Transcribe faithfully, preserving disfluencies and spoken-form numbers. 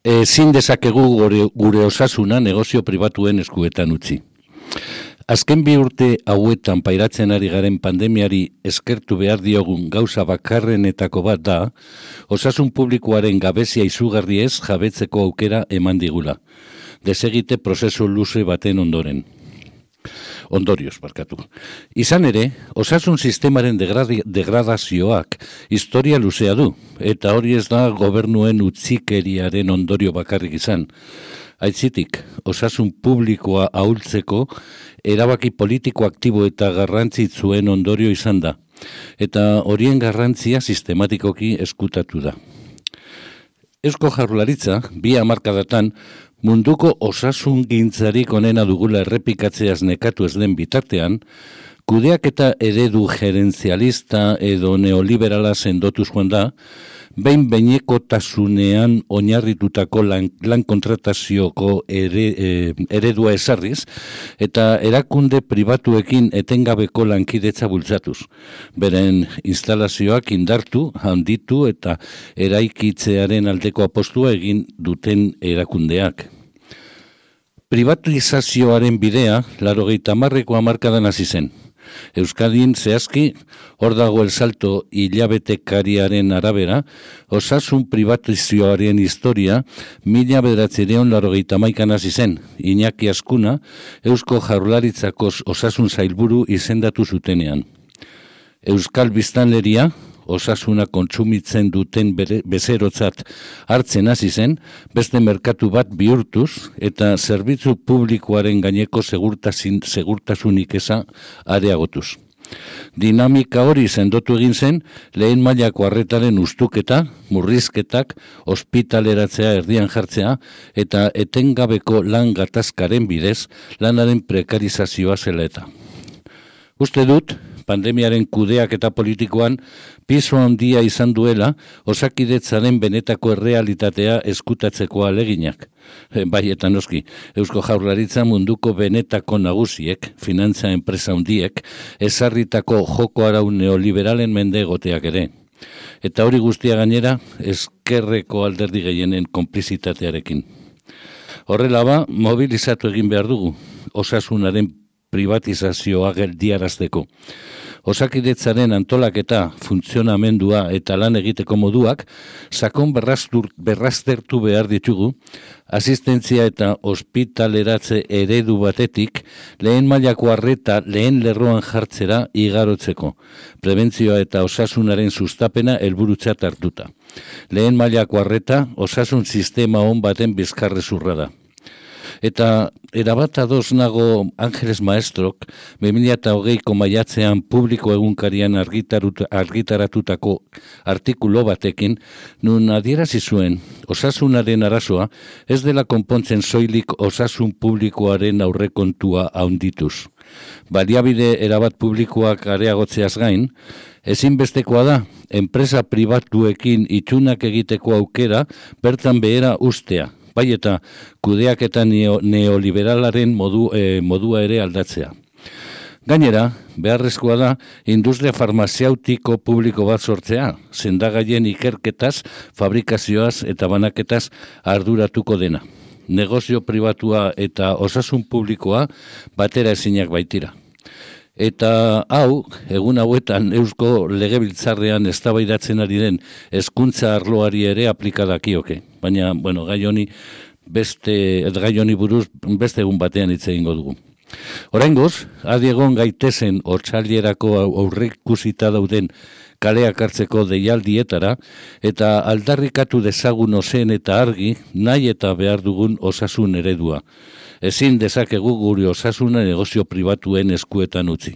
Ezin dezakegu gure, gure osasuna negozio pribatuen eskuetan utzi. Azken bi urte hauetan pairatzen ari garen pandemiari eskertu behar diogun gauza bakarrenetako bat da, osasun publikoaren gabezia izugarri ez jabetzeko aukera eman digula. Desegite prozesu luze baten ondoren. Ondorioz, barkatu. Izan ere, osasun sistemaren degradi, degradazioak historia luzea du, eta hori ez da gobernuen utzikeriaren ondorio bakarrik izan. Aitzitik, osasun publikoa ahultzeko erabaki politiko aktibo eta garrantzitsuen ondorio izan da, eta horien garrantzia sistematikoki eskutatu da. Eusko Jaurlaritza, bi hamarkadatan, munduko osasun gintzarik onena dugula errepikatzeaz nekatu ez den bitartean, kudeak eta eredu gerentzialista edo neoliberala sendotuz joan da, behin behinekotasunean oinarritutako lan, lan kontratazioko ere, e, eredua ezarriz, eta erakunde pribatuekin etengabeko lankidetza bultzatuz. Beren instalazioak indartu, handitu eta eraikitzearen aldeko apostua egin duten erakundeak. Privatizazioaren bidea, laurogeita hamarreko hamarkadan hasi zen. Euskadin zehazki, hor dago el salto hilabetekariaren arabera, osasun privatizazioaren historia mila bederatziehun eta laurogeita hamaikan hasi zen. Iñaki Azkuna, Eusko Jaurlaritzako osasun sailburu izendatu zutenean. Euskal biztanleria, osasuna kontsumitzen duten bere, bezerotzat hartzen hasi zen, beste merkatu bat bihurtuz eta zerbitzu publikoaren gaineko segurtasin, segurtasunik eza areagotuz. Dinamika hori sendotu egin zen, lehen mailako arretaren ustuketa, murrizketak, ospitaleratzea erdian jartzea eta etengabeko lan gatazkaren bidez lanaren prekarizazioa zela eta. Uste dut, pandemiaren kudeak eta politikoan piso handia izan duela osakidetzaren benetako errealitatea eskutatzeko aleginak. Bai eta noski, Eusko Jaurlaritza munduko benetako nagusiek, finantza enpresa handiek, ezarritako joko arau neoliberalen mende egoteak ere. Eta hori guztia gainera, ezkerreko alderdi gehienen konplizitatearekin. Horrela ba, mobilizatu egin behar dugu, osasunaren privatizazioa geldiarazteko. Osakidetzaren antolaketa, funtzionamendua eta lan egiteko moduak sakon berraztertu behar ditugu, asistentzia eta ospitaleratze eredu batetik lehen mailako arreta lehen lerroan jartzera igarotzeko, prebentzioa eta osasunaren sustapena helburutzat hartuta. Lehen mailako arreta osasun sistema on baten bizkarrezurra da. Eta erabat ados nago Angeles Maestrok, bi mila hogeiko maiatzean publiko egunkarian argitaratutako artikulo batekin, nun adierazi zuen osasunaren arazoa ez dela konpontzen soilik osasun publikoaren aurrekontua handituz. Baliabide erabat publikoak areagotzeaz gain, ezinbestekoa da, enpresa pribatuekin itxunak egiteko aukera bertan behera ustea. Bai eta kudeak eta neo, neoliberalaren modu, e, modua ere aldatzea. Gainera, beharrezkoa da, industria farmazeutiko publiko bat sortzea, sendagaien ikerketaz, fabrikazioaz eta banaketaz arduratuko dena. Negozio pribatua eta osasun publikoa batera ezinak baitira. Eta hau, egun hauetan Eusko Legebiltzarrean eztabaidatzen ari den hezkuntza arloari ere aplikadakioke. Baina, bueno, gai honi beste gai honi buruz beste egun batean hitz egingo dugu. Oraingoz, adi egon gaitezen otsailerako aurreikusita dauden kaleak hartzeko deialdietara eta aldarrikatu dezagun ozen eta argi nahi eta behar dugun osasun eredua. Ezin dezakegu gure osasuna negozio pribatuen eskuetan utzi.